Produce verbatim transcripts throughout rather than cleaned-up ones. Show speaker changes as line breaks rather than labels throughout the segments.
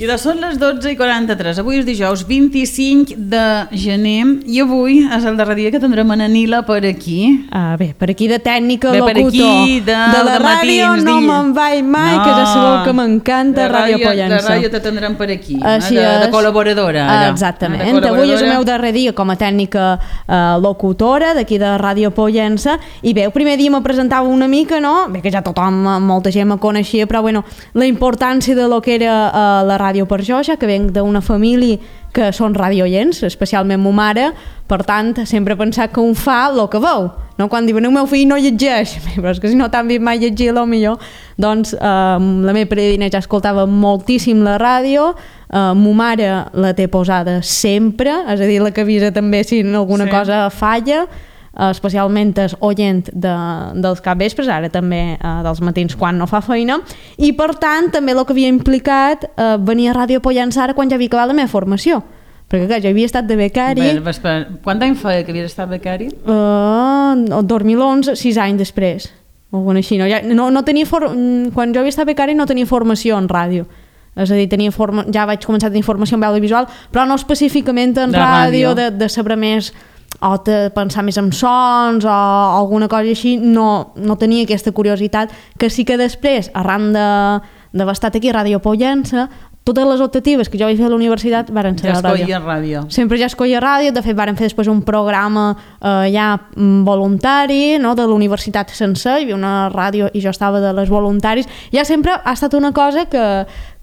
Mira, són les dotze i quaranta-tres. Avui és dijous vint-i-cinc de gener i avui és el darrer dia que tindrem en Nila per aquí.
Ah, bé, per aquí de tècnica,
bé,
locutor.
Per aquí, de,
de la
de
ràdio
matins,
no me'n vaig mai, no, que ja sabeu que m'encanta Ràdio Pollença.
La ràdio te tindrem per aquí,
Així
eh, de,
és.
de col·laboradora. Ara.
Exactament.
De col·laboradora.
Avui és el meu darrer dia com a tècnica eh, locutora d'aquí de Ràdio Pollença i bé, el primer dia me presentava una mica, no? Bé, que ja tothom, molta gent me coneixia, però bueno, la importància de lo que era eh, la ràdio per jo, ja que venc d'una família que són radioients, especialment ma mare, per tant, sempre he pensat que un fa el que veu, no? Quan diuen el meu fill no llegeix, però és que si no t'han vist mai llegir, a lo millor, doncs eh, la meva predina ja escoltava moltíssim la ràdio, eh, ma mare la té posada sempre, és a dir, la que avisa també si alguna sí. cosa falla, especialment és oient de, dels capvespres, ara també eh, dels matins quan no fa feina, i per tant també el que havia implicat eh, venir a Ràdio Pollença ara quan ja havia acabat la meva formació, perquè clar, jo havia estat de becari.
Bé, espera, quant any feia que havies estat becari?
Uh, el dos mil onze, sis anys després, o alguna així, no? Ja, no, no tenia for... quan jo havia estat becari no tenia formació en ràdio, és a dir, tenia forma... ja vaig començar a tenir formació en veu visual, però no específicament en de ràdio, ràdio. De, de saber més o de pensar més en sons o alguna cosa així, no, no tenia aquesta curiositat, que sí que després, arran d'haver estat aquí a Ràdio Pollença, totes les optatives que jo vaig fer a la universitat varen ser
ja
a ràdio.
escollia ràdio.
Sempre ja escollia ràdio, de fet varen fer després un programa eh, ja voluntari, no, de la universitat sencer, hi havia una ràdio i jo estava de les voluntaris, ja sempre ha estat una cosa que,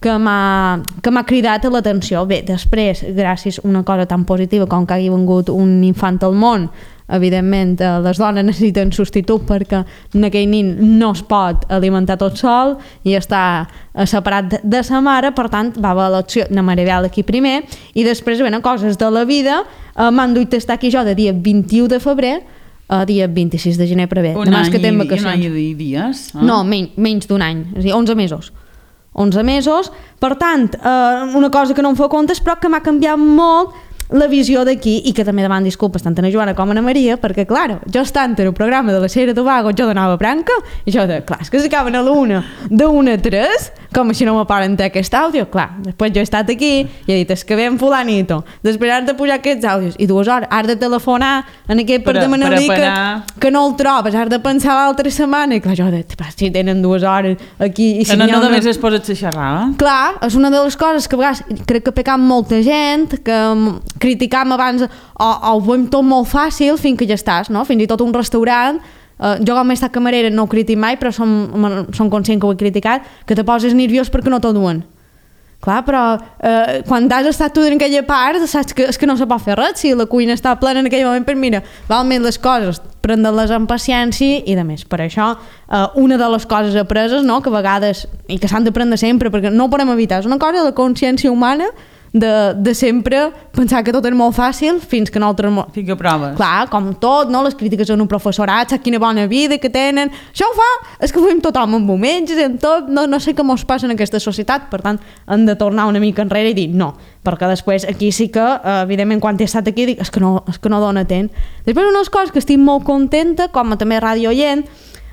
que m'ha que m'ha cridat l'atenció. Bé, després, gràcies a una cosa tan positiva com que hagi vengut un infant al món, evidentment les dones necessiten substitut perquè en aquell nin no es pot alimentar tot sol i està separat de sa mare, per tant va haver l'opció de Maribel aquí primer i després venen coses de la vida, eh, m'han duit estar aquí jo de dia vint-i-u de febrer a dia vint-i-sis de gener prevé.
Un any, que i, un any i dies? Eh?
No, men menys d'un any, és a dir, onze mesos. onze mesos, per tant, eh, una cosa que no em fa comptes però que m'ha canviat molt la visió d'aquí i que també deman disculpes tant a la Joana com a la Maria perquè, clar, jo estant en el programa de la Sera Tobago jo donava branca i jo de, clar, és que s'acaben a la una d'una a tres, com així no me paren té aquest àudio, clar, després jo he estat aquí i he dit, és que ven fulanito després has de pujar aquests àudios i dues hores has de telefonar en aquest per demanar-li que, que no el trobes, has de pensar l'altra setmana i clar, jo de, si tenen dues hores aquí i si
que no, no
una...
només es posa a xerrar, eh?
Clar, és una de les coses que a vegades crec que peca molta gent que criticam abans o, o ho veiem tot molt fàcil fins que ja estàs, no? Fins i tot un restaurant, eh, jo com he estat camarera no ho critico mai però som, som conscient que ho he criticat, que te poses nerviós perquè no t'ho duen. Clar, però eh, quan has estat tu en aquella part saps que, és que no se pot fer res, si la cuina està plena en aquell moment, però mira, val més les coses prendre-les amb paciència i de més, per això eh, una de les coses apreses, no?, que a vegades i que s'han d'aprendre sempre perquè no ho podem evitar, és una cosa de la consciència humana de, de sempre pensar que tot és molt fàcil fins que nosaltres...
Fins que proves.
Clar, com tot, no? Les crítiques en un professorat, saps quina bona vida que tenen, això ho fa, és que ho fem tothom en moments, en tot, no, no sé què mos passa en aquesta societat, per tant, hem de tornar una mica enrere i dir no, perquè després aquí sí que, evidentment, quan he estat aquí, dic, és que no, és que no dona temps. Després, una de les coses que estic molt contenta, com a també ràdio oient,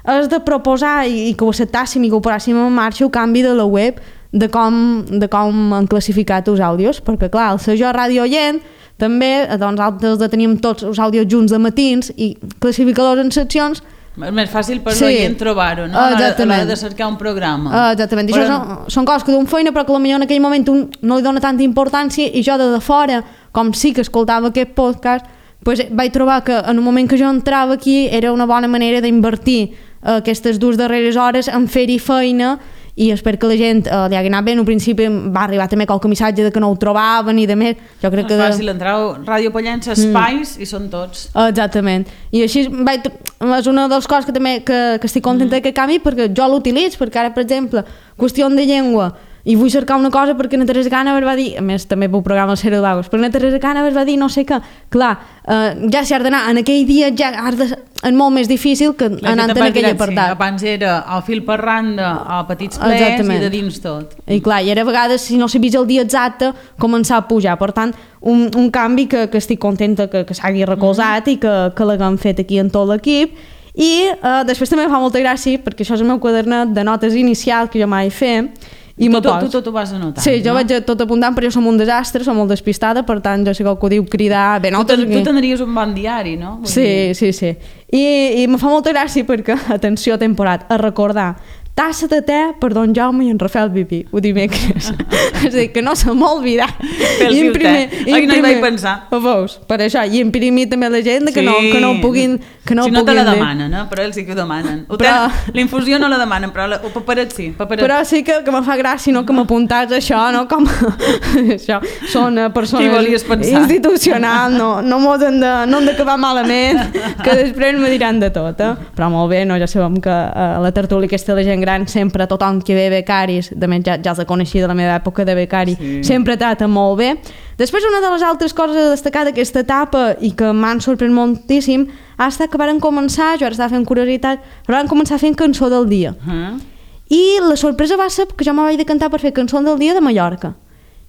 és de proposar i, i que ho acceptàssim i que ho posàssim en marxa el canvi de la web de com, de com han classificat els àudios, perquè clar, el ser jo ràdio oient també, doncs altres de tenim tots els àudios junts de matins i classificadors en seccions.
És més fàcil per
sí.
l'oient trobar-ho, no? A l'hora de cercar un programa.
Uh, exactament, i però... això són, són coses que d'un feina però que potser en aquell moment un no li dona tanta importància i jo de, de fora, com sí que escoltava aquest podcast, pues, vaig trobar que en un moment que jo entrava aquí era una bona manera d'invertir uh, aquestes dues darreres hores en fer-hi feina i espero que la gent eh, li hagi anat bé. En un principi va arribar també qualque missatge de que no ho trobaven i de més. Jo crec
no és
que...
fàcil, entrau Ràdio Pollença, espais mm. i són tots.
Exactament. I així vaig... és una de les coses que també que, que estic contenta mm. que canvi perquè jo l'utilitzo, perquè ara, per exemple, qüestió de llengua, i vull cercar una cosa perquè na Teresa Cànovas va dir, a més també pel programa El Cero de Lagos, perquè na Teresa Cànovas va dir no sé què, clar, eh, ja si has d'anar en aquell dia ja has de, és molt més difícil que anant en aquell apartat.
Sí, abans era el fil per randa, a petits plets exactament. I de dins tot.
I clar, i ara a vegades si no sabies el dia exacte començar a pujar, per tant un, un canvi que, que estic contenta que, que s'hagi recolzat mm. i que, que l'haguem fet aquí en tot l'equip. I eh, després també em fa molta gràcia perquè això és el meu quadernet de notes inicial que jo mai fer i me
tu,
poso.
tu tot ho vas anotant,
Sí, jo
no?
vaig tot apuntant, però jo som un desastre, som molt despistada, per tant jo sé que ho diu cridar... Bé,
tu, ten,
aquí...
tu tindries un bon diari, no? Vull
Sí,
dir...
sí, sí. I, I me fa molta gràcia perquè, atenció, temporat, a recordar tassa de te per don Jaume i en Rafael Viví, ho dimecres. És a dir, que no se m'ha oblidat.
Fer el té. Ai, no hi vaig pensar.
Ho veus? Per això, i imprimir també l'agenda,
Sí.
que, no, que no ho puguin que no
si
ho
no te la
puguin dir.
demanen, eh? Però ells sí que ho demanen. Ho
Però-
tenen- La infusió no la demanen, però la, el paperet sí. Paperet.
Però sí que, que me fa gràcia, no?, que m'apuntats això, no?, com... això, són eh,
Qui
persones
volies pensar?
institucionals, no, no mos hem de, no hem d'acabar malament, que després me diran de tot, eh? Però molt bé, no?, ja sabem que a la tertúlia aquesta de la gent gran sempre tothom que ve becaris, de més ja, ja els coneixia de la meva època de becari,
Sí.
sempre trata molt bé. Després, una de les altres coses a destacar d'aquesta etapa i que m'han sorprès moltíssim ha estat que varen començar, jo ara estava fent curiositat, però van començar fent cançó del dia.
Uh-huh.
I la sorpresa va ser que jo me vaig decantar per fer cançó del dia de Mallorca.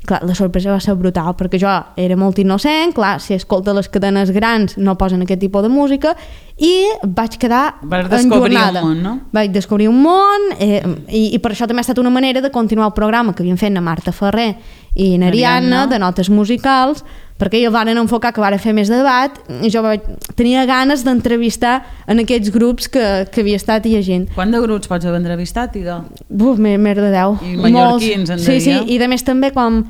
Clar, la sorpresa va ser brutal, perquè jo era molt innocent, clar, si escolta les cadenes grans no posen aquest tipus de música, i vaig quedar
Vas descobrir
enjornada.
un món, no?
Vaig descobrir un món, eh, i, i per això també ha estat una manera de continuar el programa que havien fet na Marta Ferrer i na Ariadna,
Ariadna.
de notes musicals, perquè ells van enfocar que van fer més debat, i jo vaig, tenia ganes d'entrevistar en aquests grups que, que havia estat llegint.
Quant de grups pots haver entrevistat, Ido?
Buf, més, més de deu.
I mallorquins, en
Sí, sí,
deia.
i de més també com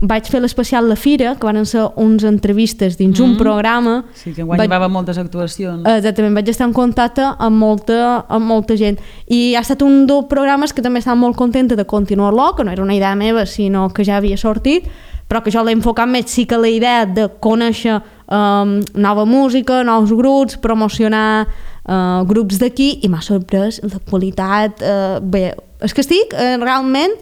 vaig fer l'especial La Fira, que van ser uns entrevistes dins mm. un programa.
Sí, que enguany
vaig,
hi va haver moltes actuacions.
Exactament, vaig estar en contacte amb molta, amb molta gent. I ha estat un dels programes que també estava molt contenta de continuar-lo, que no era una idea meva, sinó que ja havia sortit, però que jo l'he enfocat més sí que la idea de conèixer um, nova música, nous grups, promocionar uh, grups d'aquí, i m'ha sorprès la qualitat. Uh, bé, és que estic uh, realment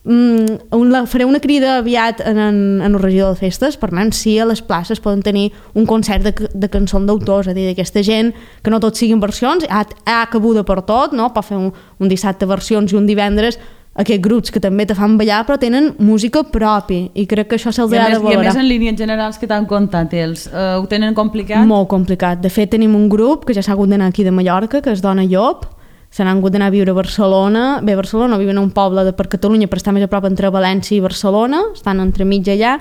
mm, una, faré una crida aviat en, en, en el regidor de festes, per tant, si a les places poden tenir un concert de, de cançons d'autors, és a dir, d'aquesta gent que no tot siguin versions, ha, ha cabuda per tot, no? Pot fer un, un dissabte versions i un divendres aquests grups que també te fan ballar però tenen música propi, i crec que això se'ls
I
ha
a,
de
més, I a
valorar.
més en línies generals que t'han contat ells, uh, ho tenen complicat?
Molt complicat. De fet, tenim un grup que ja s'ha hagut d'anar aquí de Mallorca, que es Dona Llop, se n'han hagut d'anar a viure a Barcelona. Bé, a Barcelona viuen en un poble de per Catalunya, però està més a prop entre València i Barcelona, estan entremig allà,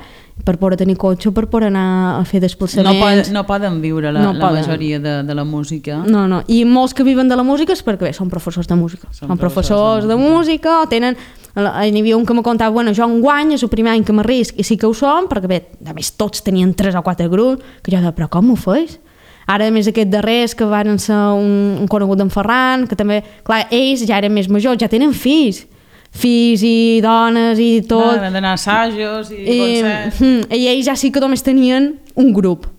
per poder tenir cotxe, per poder anar a fer
No,
desplaçaments.
pod, no poden viure la,
No
la
poden.
majoria de, de la música.
No, no, i molts que viven de la música és perquè bé, són professors de música.
Són
Són,
professors
professors
de
de música, o tenen... N'hi havia un que me contava, bueno, jo enguany és el primer any que m'arrisc, i sí que ho som, perquè bé, a més tots tenien tres o quatre grups, que jo deia, però com ho feis? Ara, a més, aquests darrers que van ser un, un conegut d'en Ferran, que també, clar, ells ja eren més majors, ja tenen fills, fills i dones i tot.
No, han d'anar a assajos i,
I,
concerts.
mm, I ells ja sí que només tenien un grup.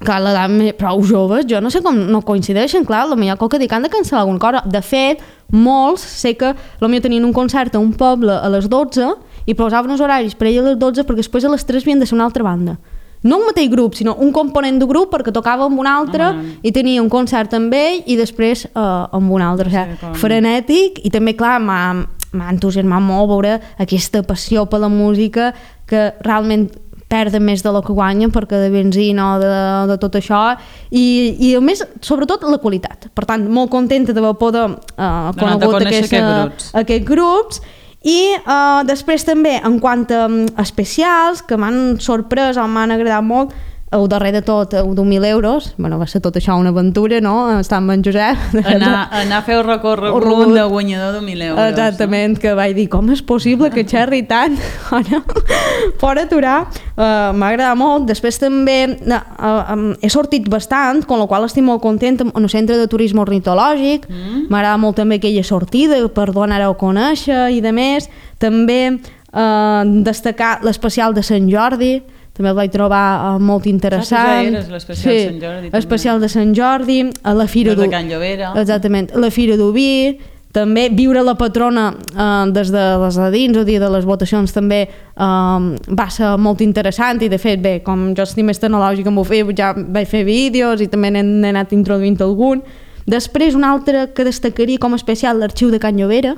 Clar, l'edat més- prou joves, jo no sé com no coincideixen, clar, potser qualque dia que han de cancel·lar alguna cosa. De fet, molts sé que potser tenien un concert a un poble a les dotze i posaven els horaris per ell a les dotze perquè després a les tres havien de ser una altra banda. No un mateix grup, sinó un component de grup perquè tocava amb un altre
Ah.
i tenia un concert amb ell i després uh, amb un altre. O
Sí,
sigui,
com-
frenètic, i també, clar, m'ha m'ha entusiasmat molt veure aquesta passió per la música que realment perden més de lo que guanyen perquè de benzina o de, de tot això, i, i a més, sobretot la qualitat. Per tant, molt contenta d'haver poder uh,
Donar-te a
conegut
conèixer
aquesta,
aquests grups.
aquests grups. I uh, després també, en quant a um, especials que m'han sorprès o m'han agradat molt, el darrer de tot, el d'un mil euros, bueno, va ser tot això una aventura, no? Estar amb en Josep.
Anar, anar a fer el recorregut
Recorregut.
de guanyador de mil euros.
Exactament, que vaig dir, com és possible que xerri tant? Ara, per aturar, uh, m'ha agradat molt. Després també uh, uh, he sortit bastant, amb la qual estic molt contenta, en el centre de turisme ornitològic.
Mm.
M'agrada molt també aquella sortida per donar-ho a conèixer i de més. També uh, destacar l'especial de Sant Jordi, també el vaig trobar uh, molt interessant.
Ah, tu ja eres l'especial de Sant Jordi, també.
Especial de Sant Jordi, a la Fira
El de
d'U-
Can Llobera.
Exactament, la Fira d'Oví, també viure la patrona eh, des de les de dins, el dia de les votacions també eh, va ser molt interessant, i de fet, bé, com jo estic més tecnològica amb ho fer, ja vaig fer vídeos i també n'he n'he anat introduint algun. Després, un altre que destacaria com a especial, l'Arxiu de Can Llobera,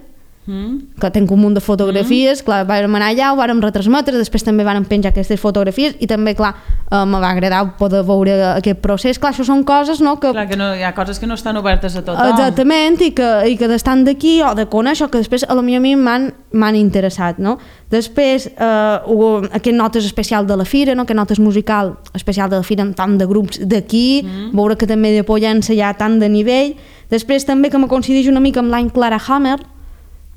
mm. que tenc un munt de fotografies, mm. clar, vàrem anar allà, ho vàrem retransmetre, després també vàrem penjar aquestes fotografies i també, clar, eh, me va agradar poder veure aquest procés. Clar, això són coses, no? Que...
Clar, que no, hi ha coses que no estan obertes a tothom.
Exactament, i que, i que d'estar d'aquí o de conèixer, que després a la mi a mi m'han m'han interessat, no? Després, eh, aquest notes especial de la Fira, no? Aquest notes musical especial de la Fira amb tant de grups d'aquí, mm. veure que també de Pollença hi ha tant de nivell. Després també que me coincideix una mica amb l'any Clara Hammer,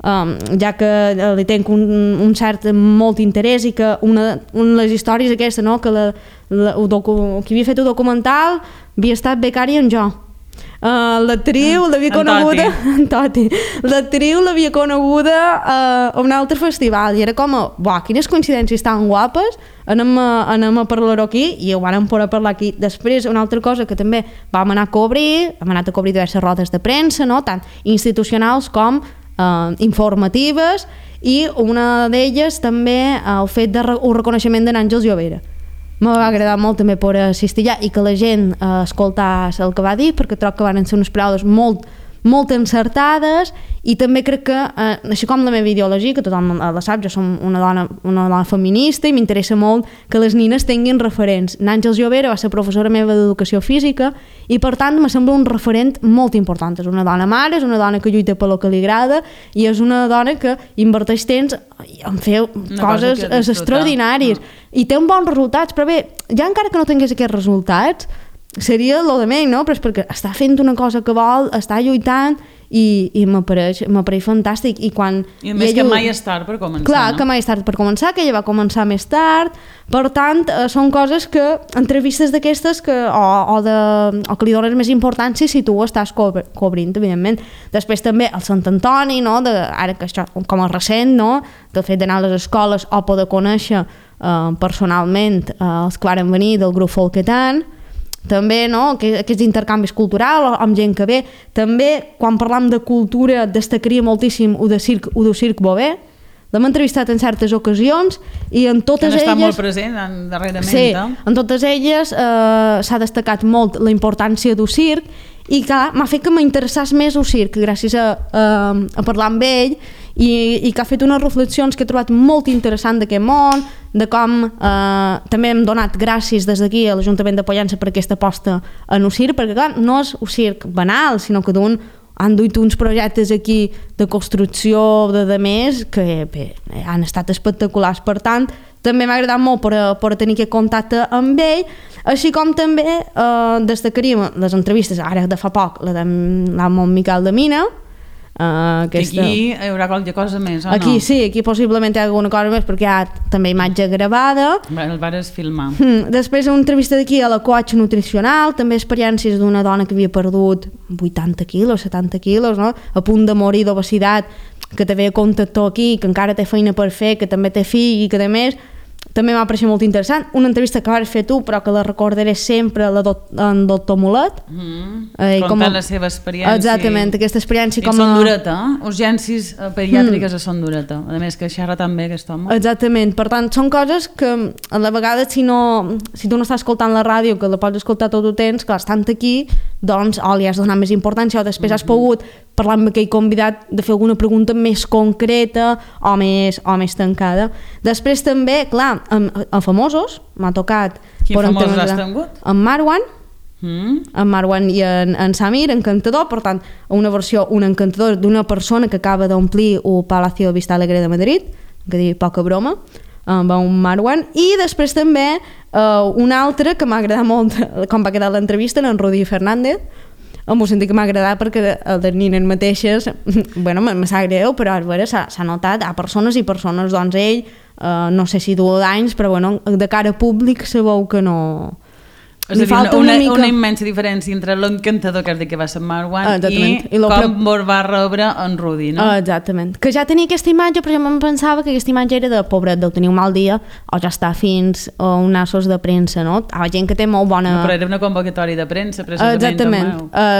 um, ja que li tenc un, un cert molt interès i que una, una de les històries aquesta, no? Que la, la, docu, qui havia fet el documental havia estat becària en jo. Uh, l'actriu l'havia coneguda en Toti, l'actriu l'havia coneguda uh, a un altre festival i era com a, buah, quines coincidències tan guapes, anem a, anem a parlar-ho aquí i ho vam poder parlar aquí. Després una altra cosa que també vam anar a cobrir, hem anat a cobrir diverses rodes de premsa, no? Tant institucionals com uh, informatives, i una d'elles també uh, el fet de re un reconeixement de n'Àngels Llovera. Me va agradar molt també per assistir allà i que la gent eh, escoltàs el que va dir, perquè trobo que van ser unes paraules molt, molt encertades, i també crec que, eh, així com la meva ideologia, que tothom la sap, jo som una dona, una dona feminista i m'interessa molt que les nines tinguin referents. N'Àngels Llovera va ser professora meva d'educació física i per tant me sembla un referent molt important. És una dona mare, és una dona que lluita per lo que li agrada i és una dona que inverteix temps en fer una coses cosa extraordinàries. No. I té uns bons resultats, però bé, ja encara que no tingués aquests resultats, seria lo de menys, no? Però és perquè està fent una cosa que vol, està lluitant i, i m'apareix fantàstic. I, quan
I a més ella... que mai és tard per començar.
Clar,
no?
que mai és tard per començar, que ella va començar més tard, per tant, eh, són coses que, entrevistes d'aquestes, que, o, o, de, o que li dones més importància si tu ho estàs co cobrint, evidentment. Després també el Sant Antoni, no? De, ara que això, com a recent, no? Del fet d'anar a les escoles o poder conèixer eh, personalment eh, els que varen venir del grup Folketan, també, no? Aquests intercanvis culturals amb gent que ve. També, quan parlam de cultura, destacaria moltíssim el de circ, el de circ Bové. L'hem entrevistat en certes ocasions i en totes elles...
Que està molt present darrerament.
Sí, en totes elles eh, s'ha destacat molt la importància del circ i clar, m'ha fet que m'interessés més el circ gràcies a, a, a parlar amb ell i, i que ha fet unes reflexions que he trobat molt interessant d'aquest món, de com eh, també hem donat gràcies des d'aquí a l'Ajuntament de Pollença per aquesta aposta en el circ, perquè clar, no és un circ banal, sinó que d'un han duit uns projectes aquí de construcció de, de més que bé, han estat espectaculars. Per tant, també m'ha agradat molt per, per tenir aquest contacte amb ell, així com també eh, destacaríem les entrevistes, ara de fa poc, la d'en Miquel de Mina. Uh, aquesta...
Aquí hi haurà qualque cosa més, o
aquí,
no?
Sí, aquí possiblement hi ha alguna cosa més perquè hi ha també imatge gravada.
El vares filmar.
Mm. Després una entrevista d'aquí a la coach nutricional, també experiències d'una dona que havia perdut vuitanta quilos, setanta quilos, no? A punt de morir d'obesitat, que també contactó aquí, que encara té feina per fer, que també té fill i que a més també m'ha pareixit molt interessant. Una entrevista que vas fer tu, però que la recordaré sempre, la do en doctor Molet.
Mm. Eh, Contant a... la seva experiència.
Exactament, aquesta experiència com
a... Son Dureta, eh? Urgències pediàtriques mm. a Son Dureta. A més, que xerra també aquest home.
Exactament, per tant, són coses que a la vegada, si, no, si tu no estàs escoltant la ràdio, que la pots escoltar tot el temps, que estan aquí, doncs, o li has donat més importància, o després mm -hmm. has pogut parlar amb aquell convidat de fer alguna pregunta més concreta o més, o més tancada. Després també, clar, amb, amb famosos, m'ha tocat...
Quin famosos has tingut?
Amb Marwan,
mm.
amb Marwan i en, en Samir, encantador, per tant, una versió, un encantador d'una persona que acaba d'omplir el Palacio Vista Alegre de Madrid, que diu poca broma, amb un Marwan, i després també uh, un altre que m'ha agradat molt, com va quedar l'entrevista, en Rudi Fernández, en el sentit que m'ha agradat perquè les nines mateixes, bueno, me sap greu, però s'ha notat, a persones i persones, doncs ell, eh, no sé si du anys, però bueno, de cara públic se veu que no...
És a dir, una, una, mica... una immensa diferència entre l'encantador que has dit que va ser Marwan i, I com pre... vos va rebre en Rudi, no?
Exactament. Que ja tenia aquesta imatge, però jo em pensava que aquesta imatge era de pobret, deu tenir un mal dia o ja està fins a un nassos de premsa, no? Hi ha gent que té molt bona...
No, però era una convocatòria de premsa, precisament.
Exactament,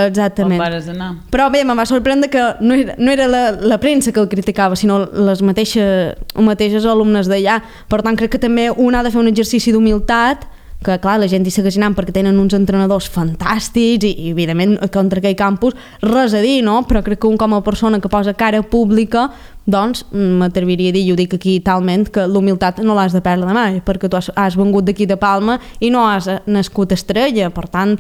exactament.
On vares anar.
Però bé, me va sorprendre que no era, no era la, la premsa que el criticava, sinó les mateixes, les mateixes alumnes d'allà. Per tant, crec que també un ha de fer un exercici d'humilitat que clar, la gent hi segueix anant perquè tenen uns entrenadors fantàstics i, i evidentment contra aquell campus res a dir, no? Però crec que un com a persona que posa cara pública, doncs m'atreviria a dir, i ho dic aquí talment, que l'humilitat no l'has de perdre mai, perquè tu has, has vengut d'aquí de Palma i no has nascut estrella, per tant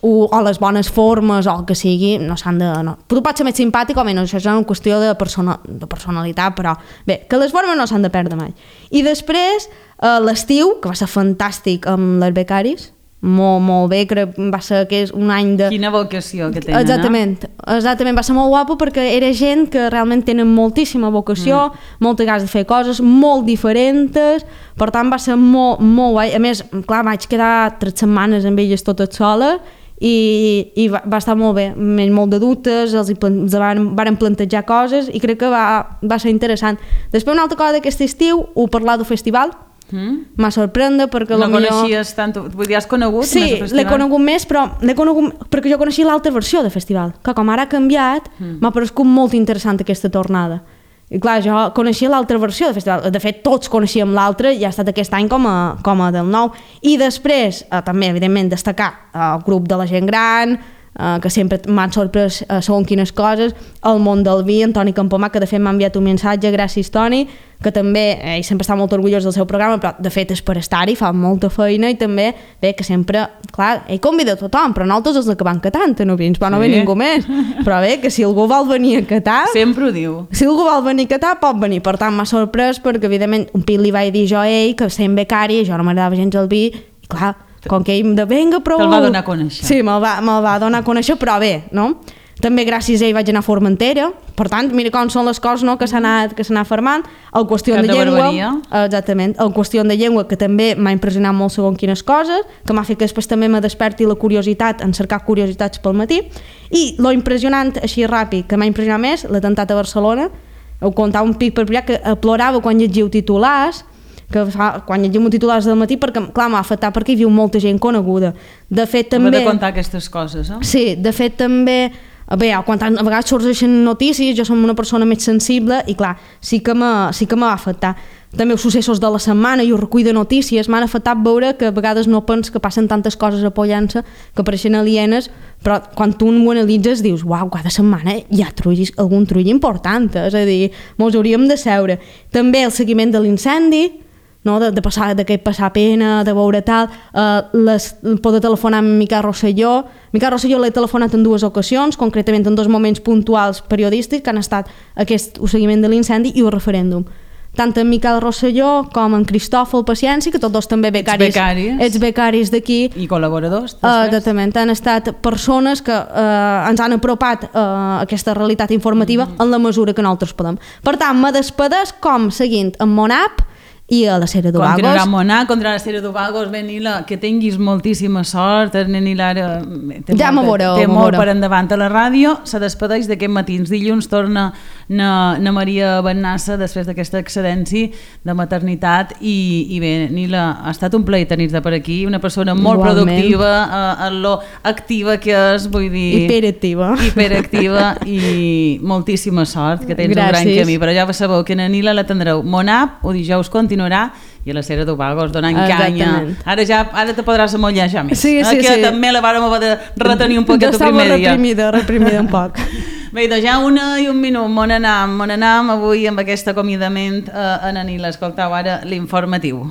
o, o les bones formes o el que sigui, no s'han de... No. Tu pots ser més simpàtic o menys, això és una qüestió de, persona, de personalitat, però bé, que les formes no s'han de perdre mai. I després, eh, l'estiu, que va ser fantàstic amb les becaris, molt, molt bé, crec que va ser que és un any de...
Quina vocació que tenen,
exactament,
no?
Exactament, va ser molt guapo perquè era gent que realment tenen moltíssima vocació, mm. moltes ganes de fer coses molt diferents, per tant va ser molt, molt guai. A més, clar, vaig quedar tres setmanes amb elles totes soles i, i va, va estar molt bé, amb molt de dubtes, els, els van, van plantejar coses i crec que va, va ser interessant. Després una altra cosa d'aquest estiu, ho parlar del festival, mm. m'ha sorprendre perquè
no
millor...
coneixies tant, vull dir, has conegut
sí,
més el festival?
l'he conegut més, però l'he conegut perquè jo coneixia l'altra versió del festival, que com ara ha canviat, mm. m'ha paregut molt interessant aquesta tornada. I clar, jo coneixia l'altra versió del festival, de fet tots coneixíem l'altra i ha estat aquest any com a, com a del nou. I després, eh, també, evidentment, destacar el grup de la gent gran, eh, que sempre m'han sorprès eh, segons quines coses, el món del vi, en Toni Campomà, que de fet m'ha enviat un missatge, gràcies Toni, que també, eh, ell sempre està molt orgullós del seu programa, però de fet és per estar-hi, fa molta feina i també, bé, que sempre, clar, ell convida a tothom, però nosaltres els que van catant, no vins, però no sí. ve ningú més, però bé, que si algú vol venir a catar...
Sempre ho diu.
Si algú vol venir a catar, pot venir, per tant m'ha sorprès perquè evidentment un pit li vaig dir jo a ell, que sent becari, jo no m'agradava gens el vi, i clar, com que ell de venga, però...
Te'l va donar a conèixer.
Sí, me'l va, me va donar a conèixer, però bé, no? També gràcies a ell vaig anar a Formentera, per tant, mira com són les coses, no?, que s'ha anat, que s'ha anat formant. El qüestió de, de llengua, exactament, el qüestió de llengua, que també m'ha impressionat molt segons quines coses, que m'ha fet que després també me desperti la curiositat en cercar curiositats pel matí. I lo impressionant, així ràpid, que m'ha impressionat més, l'atemptat a Barcelona, ho contava un pic per privat, que plorava quan llegiu titulars, que fa, quan llegim titulars del matí, perquè clar, m'ha afectat perquè hi viu molta gent coneguda. De fet, també...
M'ha de contar aquestes coses, eh?
Sí, de fet, també... Bé, quan a vegades sorgeixen notícies, jo som una persona més sensible i clar, sí que m'ha sí que m'ha afectat. També els successos de la setmana i el recull de notícies m'han afectat veure que a vegades no pens que passen tantes coses a Pollença que pareixen alienes, però quan tu ho analitzes dius, uau, cada setmana hi ha trullis, algun trull important, és a dir, mos hauríem de seure. També el seguiment de l'incendi, no? de, de, passar, de que passar pena, de veure tal, eh, les, poder telefonar amb Miquel Rosselló. Miquel Rosselló l'he telefonat en dues ocasions, concretament en dos moments puntuals periodístics, que han estat aquest el seguiment de l'incendi i el referèndum. Tant en Miquel Rosselló com en Cristòfol Paciència, que tots dos també becaris,
ets becaris,
ets becaris d'aquí.
I col·laboradors,
després. Uh, exactament, han estat persones que uh, ens han apropat uh, aquesta realitat informativa mm. en la mesura que nosaltres podem. Per tant, me despedeix com seguint en mon app i a la Sera d'Ovagos.
Continuarà Monà, contra la Sera d'Ovagos, bé, Nila, que tinguis moltíssima sort, el nen Nila ara té,
ja
molt,
veureu,
té molt per endavant a la ràdio, se despedeix d'aquest matins. Dilluns torna na, na Maria Bennassa després d'aquesta excedència de maternitat i, i bé, Nila, ha estat un plaer tenir-te per aquí, una persona molt igualment productiva, eh, en lo activa que és, vull dir...
Hiperactiva.
Hiperactiva i moltíssima sort, que tens gràcies. Un gran camí, però ja sabeu que na Nila la tindreu. Monap, o dijous continua i a la Sera d'Ovagos donant canya. Ara ja ara te podràs amollejar més.
Sí, sí,
que
sí.
també la vàrem haver de retenir un poquet el primer dia.
Estava reprimida, reprimida un poc.
Bé, doncs ja una i un minut. Mon anam, mon anam avui amb aquest acomiadament a Nanila. Escoltau ara l'informatiu.